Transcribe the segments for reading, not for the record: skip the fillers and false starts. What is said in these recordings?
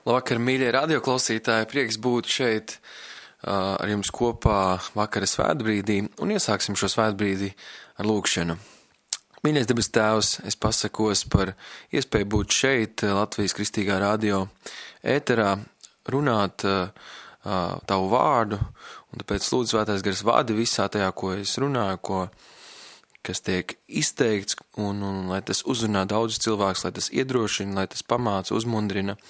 Labvakar, mīļie radioklausītāji, prieks būt šeit ar jums kopā vakara svētbrīdī un iesāksim šo svētbrīdi ar lūgšanu. Mīļais debes Tēvs, es pasakos par iespēju būt šeit Latvijas Kristīgā radio ēterā, runāt tavu vārdu, un tāpēc lūdzu Svētais Gars vadi visā tajā, ko es runāju, kas tiek izteikts, un lai tas uzrunā daudz cilvēkus, lai tas iedrošina, lai tas pamāca, uzmundrina,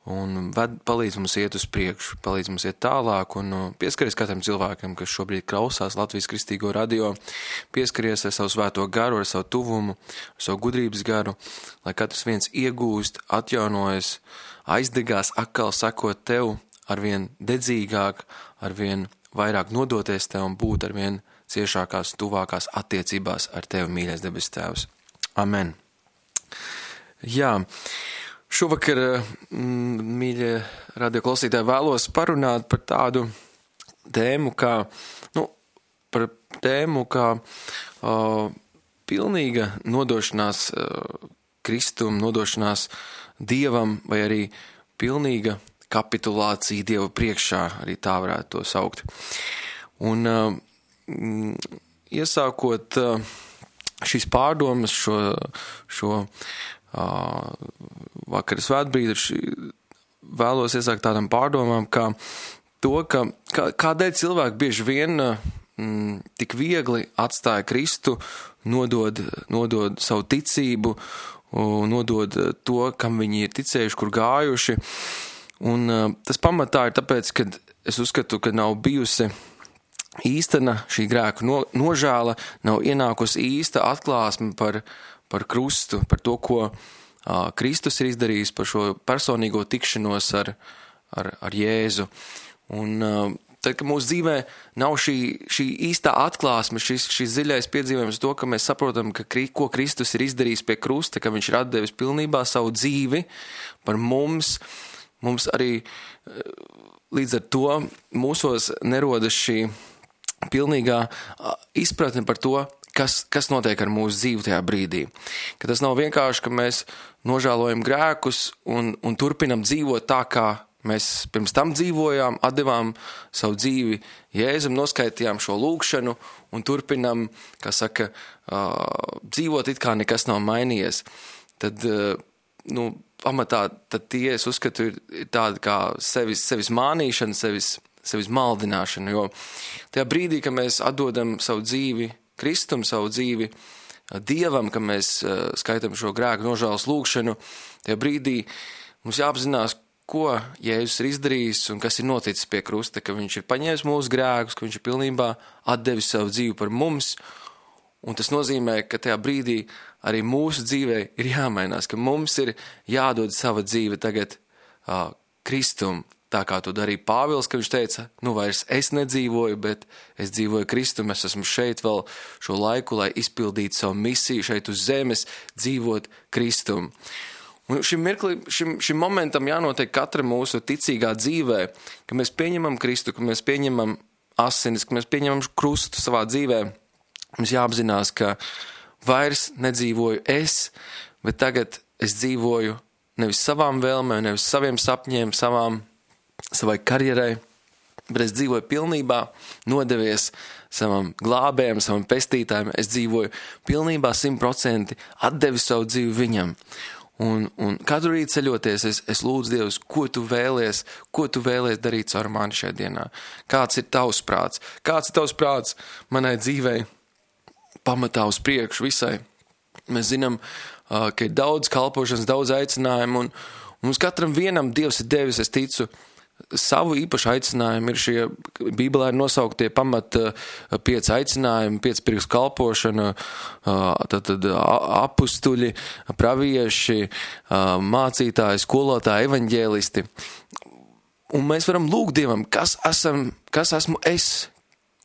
un palīdz mums iet uz priekšu, palīdz mums iet tālāk, un pieskaries katram cilvēkam, kas šobrīd klausās Latvijas Kristīgo radio, pieskaries ar savu svēto garu, ar savu tuvumu, ar savu gudrības garu, lai katrs viens iegūst, atjaunojas, aizdegās, atkal sakot tev, arvien dedzīgāk, arvien vairāk nodoties tev un būt arvien ciešākās, tuvākās attiecībās ar tevi, mīļais debes Tēvs. Amen. Jā, šovakar, mīļie radioklausītāji, vēlos parunāt par tādu tēmu, pilnīga nodošanās Kristum, nodošanās Dievam, vai arī pilnīga kapitulācija Dieva priekšā, arī tā varētu to saukt. Un iesākot šīs pārdomas, šo vakara svētbrīdi, vēlos iesākt tādām pārdomām, kādēļ cilvēki bieži vien tik viegli atstāja Kristu, nodod savu ticību, nodod to, kam viņi ir ticējuši, kur gājuši. Un tas pamatā ir tāpēc, ka es uzskatu, ka nav bijusi īstena šī grēku nožēla, nav ienākusi īsta atklāsme par krustu, par to, ko Kristus ir izdarījis, par šo personīgo tikšanos ar Jēzu. Un tad, ka mūsu dzīvē nav šī īstā atklāsme, šis dziļais piedzīvojums to, ka mēs saprotam, ko Kristus ir izdarījis pie krusta, ka viņš ir atdevis pilnībā savu dzīvi par mums arī līdz ar to mūsos nerodas šī pilnīgā izpratne par to, kas notiek ar mūsu dzīvi tajā brīdī. Ka tas nav vienkārši, ka mēs nožēlojam grēkus un turpinam dzīvot tā, kā mēs pirms tam dzīvojām, atdevām savu dzīvi Jēzum, noskaitījām šo lūgšanu un turpinam, dzīvot it kā nekas nav mainījies. Tad, pamatā, tad tie, es uzskatu, ir tāda kā sevis mānīšana, sevis maldināšana, jo tajā brīdī, ka mēs atdodam savu dzīvi Kristum, savu dzīvi Dievam, ka mēs skaitam šo grēku nožēlas lūgšanu, tajā brīdī mums jāapzinās, ko Jēzus ir izdarījis un kas ir noticis pie krusta, ka viņš ir paņēmis mūsu grēkus, ka viņš ir pilnībā atdevis savu dzīvi par mums, un tas nozīmē, ka tajā brīdī arī mūsu dzīvē ir jāmainās, ka mums ir jādod sava dzīve tagad Kristum, tā kā to darīja Pāvils, ka viņš teica, vairs es nedzīvoju, bet es dzīvoju Kristum, es esmu šeit vēl šo laiku, lai izpildītu savu misiju šeit uz zemes, dzīvot Kristum. Un šim momentam jānotiek katra mūsu ticīgā dzīvē, ka mēs pieņemam Kristu, ka mēs pieņemam asinis, ka mēs pieņemam krustu savā dzīvē. Mums jāapzinās, ka vairs nedzīvoju es, bet tagad es dzīvoju nevis savām vēlmēm, nevis saviem sapņiem, savai karjerai, bet es dzīvoju pilnībā, nodevies savam glābējam, savam pestītājam, es dzīvoju pilnībā 100% atdevis savu dzīvi viņam. Un katru rītu ceļoties, es lūdzu Dievs, ko tu vēlies darīt caur mani šajā dienā? Kāds ir tavs prāts? Kāds ir tavs prāts manai dzīvei pamatā uz priekšu visai? Mēs zinām, ka ir daudz kalpošanas, daudz aicinājumu, un mums katram vienam Dievs ir devis, es ticu, savu īpašu aicinājumu. Ir šie Bībelē ir nosauktie pamat 5 aicinājumi, 5 pirkstu kalpošana, tad apustuļi, pravieši, mācītāji, skolotāji, evaņģēlisti. Un mēs varam lūgt Dievam, kas esmu es,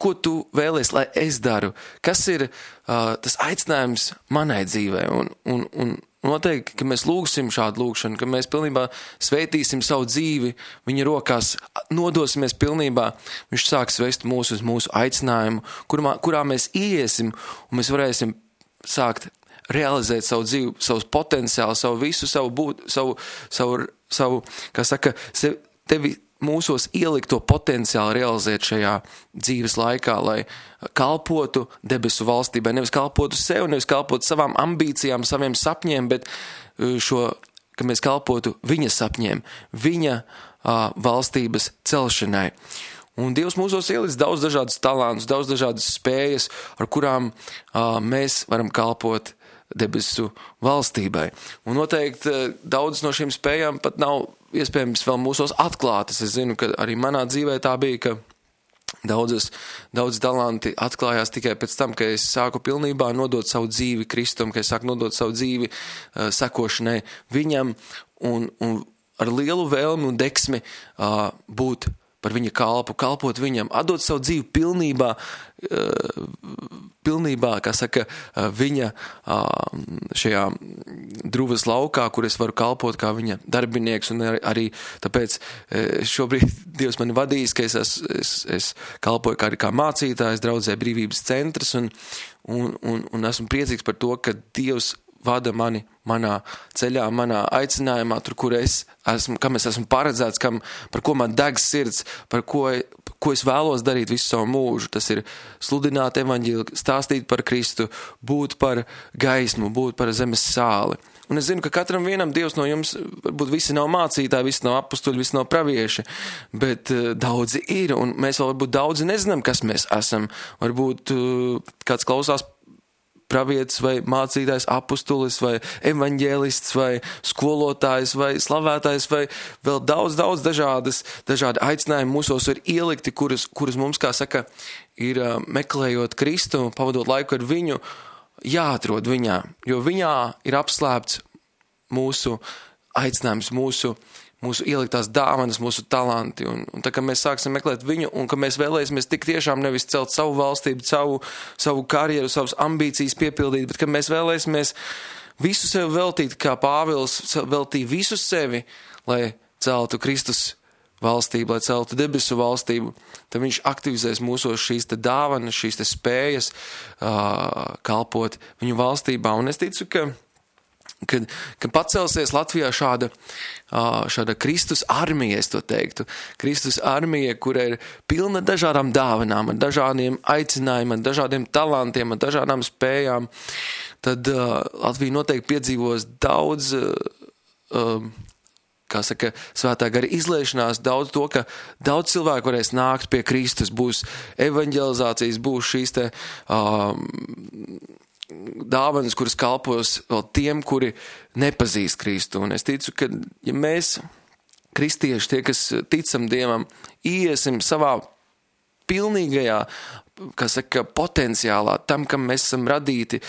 ko tu vēlies, lai es daru, kas ir tas aicinājums manai dzīvē. Un noteikti, ka mēs lūgsim šādu lūgšanu, ka mēs pilnībā svētīsim savu dzīvi, viņa rokās nodosimies pilnībā, viņš sāks vest mūsu uz mūsu aicinājumu, kurā mēs iesim, un mēs varēsim sākt realizēt savu dzīvi, savus potenciālu, savu visu, savu būt, savu, kā saka, tevi mūsos ielikt to potenciālu realizēt šajā dzīves laikā, lai kalpotu debesu valstībai, nevis kalpotu sev, nevis kalpotu savām ambīcijām, saviem sapņiem, bet ka mēs kalpotu viņa sapņiem, viņa valstības celšanai. Un Dievs mūsos ielic daudz dažādus talantus, daudz dažādas spējas, ar kurām mēs varam kalpot debesu valstībai. Un noteikti daudz no šīm spējām pat nav iespējams vēl mūsos atklātas. Es zinu, ka arī manā dzīvē tā bija, ka daudz talanti atklājās tikai pēc tam, ka es sāku pilnībā nodot savu dzīvi Kristum, ka es sāku nodot savu dzīvi sekošanai viņam un ar lielu vēlmi un deksmi būt par viņa kalpu, kalpot viņam, atdot savu dzīvi pilnībā, kā saka, viņa šajā druvas laukā, kur es varu kalpot kā viņa darbinieks, un arī tāpēc šobrīd Dievs mani vadīs, ka es kalpoju kā mācītājs draudzē Brīvības centrs, un esmu priecīgs par to, ka Dievs vada mani manā ceļā, manā aicinājumā, tur, kur kam es esmu paredzēts, par ko man deg sirds, par ko es vēlos darīt visu savu mūžu. Tas ir sludināt evaņģēliju, stāstīt par Kristu, būt par gaismu, būt par zemes sāli. Un es zinu, ka katram vienam Dievs no jums, varbūt visi nav mācītāji, visi nav apustuļi, visi nav pravieši, bet daudzi ir, un mēs vēl varbūt daudzi nezinām, kas mēs esam. Varbūt kāds klausās pravietis vai mācītājs, apustulis vai evaņģēlists vai skolotājs vai slavētājs vai vēl daudz dažādi aicinājumi mūsos ir ielikti, kurus mums, kā saka, ir meklējot Kristu, pavadot laiku ar viņu, jāatrod viņā, jo viņā ir apslēpts mūsu aicinājums, mūsu ieliktās dāvanas, mūsu talanti, un tā kā mēs sāksim meklēt viņu, un ka mēs vēlēsimies tik tiešām nevis celt savu valstību, savu karjeru, savas ambīcijas piepildīt, bet ka mēs vēlēsimies visu sevi veltīt, kā Pāvils veltīja visu sevi, lai celtu Kristus valstību, lai celtu debesu valstību, tad viņš aktivizēs mūsos šīs te dāvanas, šīs te spējas kalpot viņu valstībā, un es ticu, kad pacelsies Latvijā šāda Kristus armija, es to teiktu. Kristus armija, kura ir pilna dažādām dāvanām, ar dažādiem aicinājumiem, ar dažādiem talantiem, ar dažādām spējām, tad Latvija noteikti piedzīvos daudz, kā saka, svētā gara izliešanās, daudz to, ka daudz cilvēku varēs nākt pie Kristus, būs evaņģelizācijas, būs šīs te dāvanas, kuras kalpos vēl tiem, kuri nepazīst Kristu. Un es ticu, ka ja mēs, kristieši, tie, kas ticam Dievam, iesim savā pilnīgajā, kā saka, potenciālā, tam, kam mēs esam radīti,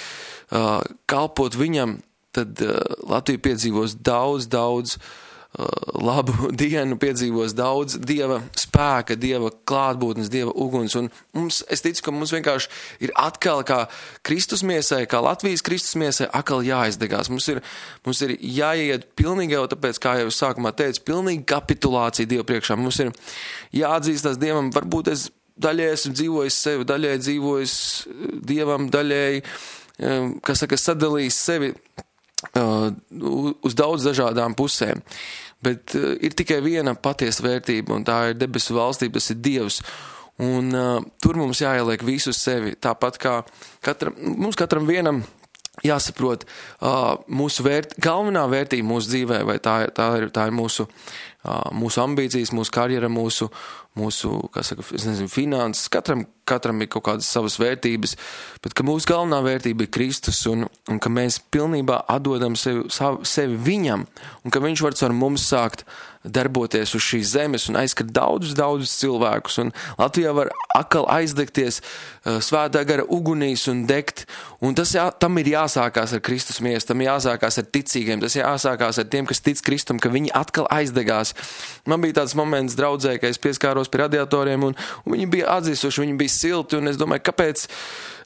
kalpot viņam, tad Latvija piedzīvos daudz labu dienu, piedzīvos daudz Dieva spēka, Dieva klātbūtnes, Dieva uguns, un es ticu, ka mums vienkārši ir atkal kā Kristus miesai, kā Latvijas Kristus miesai, atkal jāizdegās. Mums ir jāiet pilnīgi jau tāpēc, kā jau es sākumā teicu, pilnīgi kapitulācija Dieva priekšā. Mums ir jāatzīstās Dievam, varbūt es daļai esmu dzīvojis sevi, daļai dzīvojis Dievam, daļai, kas saka, sadalījis sevi uz daudz dažādām pusēm. Bet ir tikai viena patiesa vērtība, un tā ir debesu valstība, tas ir Dievs. Un tur mums jāieliek visu sevi, tāpat kā mums katram vienam jāsaprot mūsu galvenā vērtība mūsu dzīvē, vai tā ir mūsu ambīcijas, mūsu karjera, mūsu kā saka, es nezinu, finanses, katram ir kaut kādas savas vērtības, bet ka mūsu galvenā vērtība ir Kristus un ka mēs pilnībā atdodam sevi viņam un ka viņš var caur mums sākt darboties uz šīs zemes un aizskart daudzus cilvēkus. Un Latvijā var atkal aizdegties svētā gara ugunīs un degt. Un tam ir jāsākās ar Kristus miesu, tam jāsākās ar ticīgiem, tas jāsākās ar tiem, kas tic Kristum, ka viņi atkal aizdegās. Man bija tāds moments draudzē, ka es pieskāros pie radiatoriem un viņi bija atzīsuši, viņi bija silti, un es domāju, kāpēc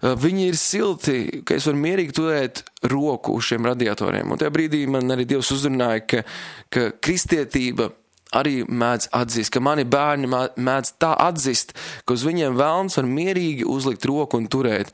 viņi ir silti, ka es varu mierīgi turēt roku uz šiem radiatoriem. Un tajā brīdī man arī Dievs uzrunāja, ka kristietība arī mēdz atzīt, ka mani bērni mēdz tā atzīt, ka uz viņiem velns var mierīgi uzlikt roku un turēt.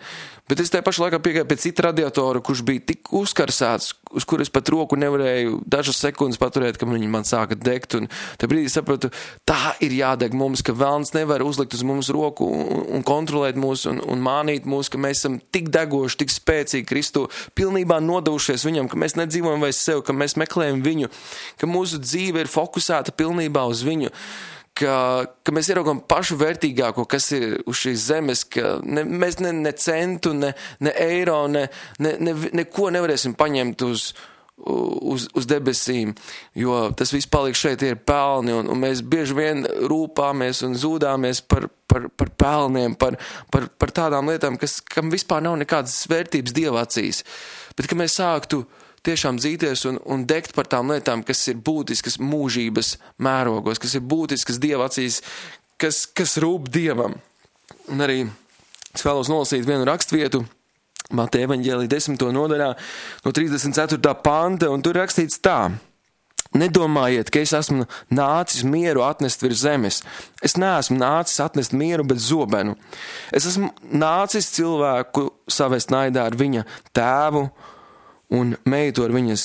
Bet es tajā pašā laikā piegāju pie cita radiatora, kurš bija tik uzkarsēts, uz kuras pat roku nevarēju dažas sekundes paturēt, ka viņi man sāka degt. Un te brīdī sapratu, tā ir jādeg mums, ka velns nevar uzlikt uz mums roku un kontrolēt mūs un mānīt mūs, ka mēs esam tik degoši, tik spēcīgi Kristu, pilnībā nodevušies viņam, ka mēs nedzīvojam vairs sev, ka mēs meklējam viņu, ka mūsu dzīve ir fokusēta pilnībā uz viņu. Ka mēs ieraugam pašu vērtīgāko, kas ir uz šīs zemes, ka mēs ne centu, ne eiro, neko nevarēsim paņemt uz debesīm, jo tas viss paliek šeit, ir pelni, un mēs bieži vien rūpāmies un zūdāmies par pelniem, par tādām lietām, kam vispār nav nekādas vērtības Dieva acīs. Bet, ka mēs sāktu tiešām dzīties un degt par tām lietām, kas ir būtiskas mūžības mērogos, kas ir būtiskas Dieva acīs, kas rūp Dievam. Un arī es vēlos nolasīt vienu rakstvietu, Mateja evaņģēlija 10. nodaļā, no 34. panta, un tur rakstīts tā: Nedomājiet, ka es esmu nācis mieru atnest virs zemes. Es neesmu nācis atnest mieru, bet zobenu. Es esmu nācis cilvēku savest naidā ar viņa tēvu, un meitu ar viņas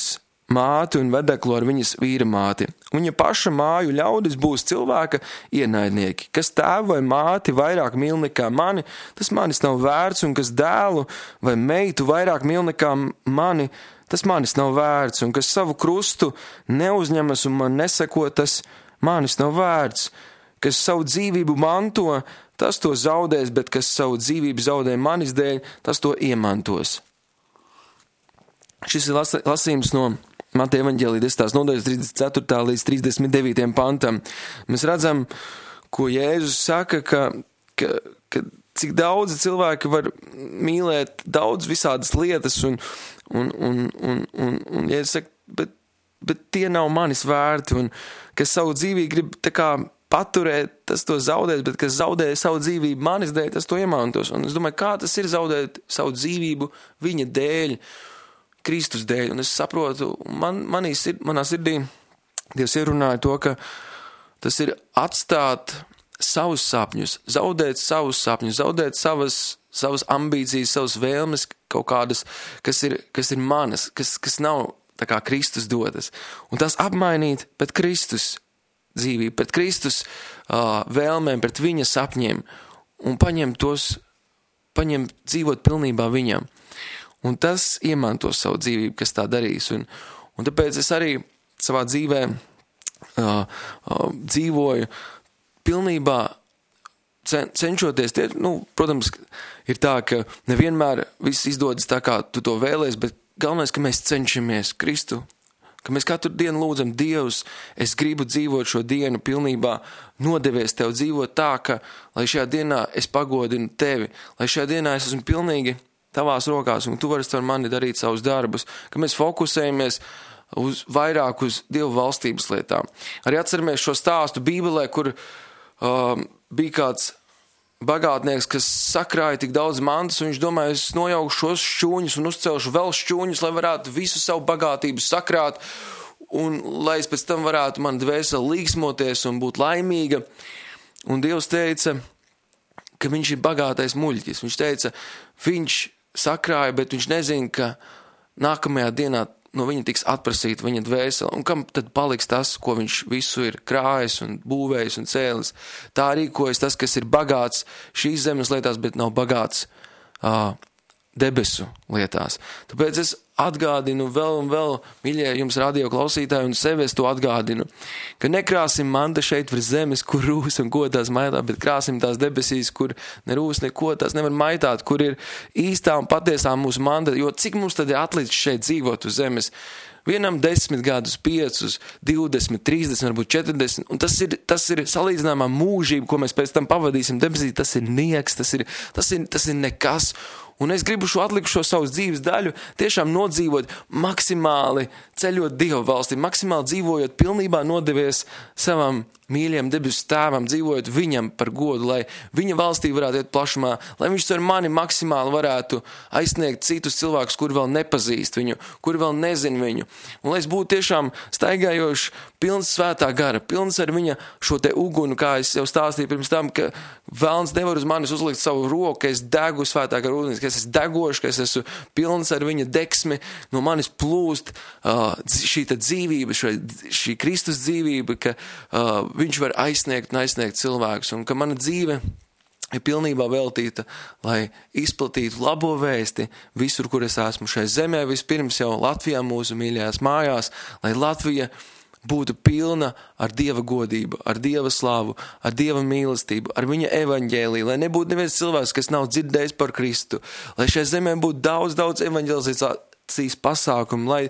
māti un vedeklu ar viņas vīra māti. Viņa paša māju ļaudis būs cilvēka ienaidnieki. Kas tēvu vai māti vairāk mīl nekā mani, tas manis nav vērts, un kas dēlu vai meitu vairāk mīl nekā mani, tas manis nav vērts, un kas savu krustu neuzņemas un man neseko, tas manis nav vērts. Kas savu dzīvību manto, tas to zaudēs, bet kas savu dzīvību zaudē manis dēļ, tas to iemantos. Šis ir lasījums no Mateja evaņģēlija 10. nodaļas 34. līdz 39. pantam. Mēs redzam, ko Jēzus saka, ka cik daudzi cilvēki var mīlēt daudz visādas lietas, un Jēzus saka, bet tie nav manis vērti, un kas savu dzīvību grib tā kā paturēt, tas to zaudēs, bet kas zaudē savu dzīvību manis dēļ, tas to iemantos. Un es domāju, kā tas ir zaudēt savu dzīvību viņa dēļ, Kristus dēļ, un es saprotu, manā sirdī Dievs ierunāja to, ka tas ir atstāt savus sapņus, zaudēt savus sapņus, zaudēt savas ambīcijas, savas vēlmes kaut kādas, kas ir manas, kas nav tā kā Kristus dotas, un tas apmainīt pret Kristus dzīvību, pret Kristus vēlmēm, pret viņa sapņiem, un paņemt dzīvot pilnībā viņam. Un tas iemantos savu dzīvību, kas tā darīs. Un tāpēc es arī savā dzīvē dzīvoju pilnībā cenšoties. Protams, ir tā, ka nevienmēr viss izdodas tā, kā tu to vēlies, bet galvenais, ka mēs cenšamies Kristu, ka mēs katru dienu lūdzam Dievs, es gribu dzīvot šo dienu pilnībā, nodevies tev dzīvot tā, ka, lai šajā dienā es pagodinu tevi, lai šajā dienā es esmu pilnīgi tavās rokās, un tu vari ar mani darīt savus darbus, ka mēs fokusējamies vairāk uz Dievu valstības lietām. Arī atceramies šo stāstu Bībelē, kur bija kāds bagātnieks, kas sakrāja tik daudz mantas, un viņš domāja, es nojaušu šos šķūņus un uzcelšu vēl šķūņus, lai varētu visu savu bagātību sakrāt, un lai es pēc tam varētu man dvēseli līgsmoties un būt laimīga. Un Dievs teica, ka viņš ir bagātais muļķis. Viņš teica, viņš sakrāja, bet viņš nezina, ka nākamajā dienā no viņa tiks atprasīta viņa dvēsele. Un kam tad paliks tas, ko viņš visu ir krājis un būvējis un cēlis? Tā rīkojas tas, kas ir bagāts šīs zemes lietās, bet nav bagāts debesu lietās. Tāpēc es atgādinu vēl un vēl, mīļie jums radio klausītāji, un sevi es to atgādinu, ka nekrāsim manta šeit virs zemes, kur rūs un ko tās maitā, bet krāsim tās debesīs, kur nerūs neko tās nevar maitāt, kur ir īstā un patiesā mūsu manta, jo cik mums tad ir atlicis šeit dzīvot uz zemes? Vienam 10 gadus, 5, 20, 30, varbūt 40, un tas ir salīdzināmā mūžība, ko mēs pēc tam pavadīsim debesī, tas ir nieks, tas ir nekas, Un es gribu šo atlikušo savas dzīves daļu tiešām nodzīvot maksimāli, ceļot Dieva valstī, maksimāli dzīvojot, pilnībā nodevies savam mīļiem debesu tēvam, dzīvojot viņam par godu, lai viņa valstī varētu iet plašumā, lai viņš ar mani maksimāli varētu aizsniegt citus cilvēkus, kuri vēl nepazīst viņu, kuri vēl nezin viņu. Un lai es būtu tiešām staigājošs, pilns svētā gara, pilns ar viņa šo te ugunu, kā es jau stāstīju pirms tam, ka velns nevar uz manis uzlikt savu roku, ka es degu svētā gara ūdens, ka es esmu degošs, ka es esmu pilns ar viņa deksmi, no manis plūst šī dzīvība, šī Kristus dzīvība, ka viņš var aizsniegt un aizsniegt cilvēkus, un ka mana dzīve ir pilnībā veltīta, lai izplatītu labo vēsti visur, kur es esmu šai zemē, vispirms jau Latvijā mūsu mīļajās mājās, lai Latvija būtu pilna ar Dieva godību, ar Dieva slavu, ar Dieva mīlestību, ar viņa evaņģēliju, lai nebūtu neviens cilvēks, kas nav dzirdējis par Kristu, lai šai zemē būtu daudz evaņģelizācijas pasākumu, lai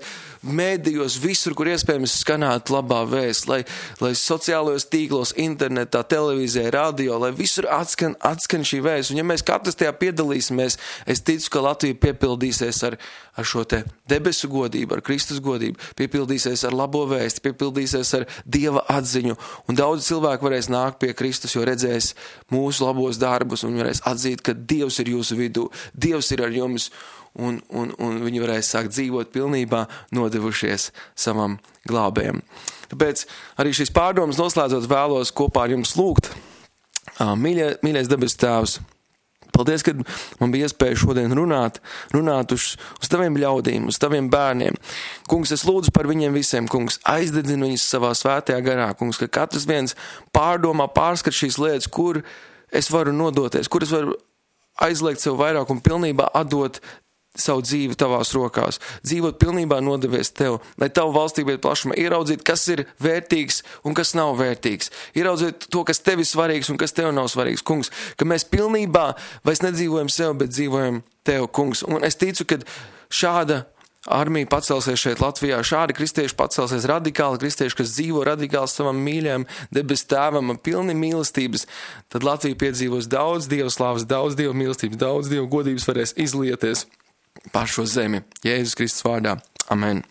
mēdījos visur, kur iespējams skanētu labā vēsts, lai sociālajos tīklos, internetā, televīzijā, radio, lai visur atskan šī vēsts. Un ja mēs katrs tajā piedalīsimies, es ticu, ka Latvija piepildīsies ar šo te debesu godību, ar Kristus godību, piepildīsies ar labo vēsti, piepildīsies ar Dieva atziņu. Un daudz cilvēku varēs nākt pie Kristus, jo redzēs mūsu labos darbus un varēs atzīt, ka Dievs ir jūsu vidū, Dievs ir ar jums. Un viņi varēs sākt dzīvot pilnībā nodevušies savam glābējam. Tāpēc arī šīs pārdomas noslēdzot vēlos kopā ar jums lūgt. Mīļais debesu Tēvs, paldies, ka man bija iespēja šodien runāt uz taviem ļaudīm, uz taviem bērniem. Kungs, es lūdzu par viņiem visiem, kungs, aizdedzinu viņus savā svētajā garā, kungs, ka katrs viens pārdomā, pārskat šīs lietas, kur es varu nodoties, kur es varu aizliegt sev vairāk un pilnībā atdot savu dzīvi tavās rokās, dzīvot pilnībā nodevies tev, lai tavu valstību iet plašumā, ieraudzīt, kas ir vērtīgs un kas nav vērtīgs, ieraudzīt to, kas tev ir svarīgs un kas tev nav svarīgs, kungs, ka mēs pilnībā vairs nedzīvojam sev, bet dzīvojam tev, kungs, un es ticu, ka šāda armija pacelsies šeit Latvijā, šādi kristieši pacelsies, radikāli kristieši, kas dzīvo radikāli savam mīļajam debesu tēvam, pilni mīlestības, tad Latvija piedzīvos daudz Dieva slavas, daudz Dieva mīlestības, daudz Dieva godības varēs izlieties pār šo zemi. Jēzus Kristus vārdā. Amen.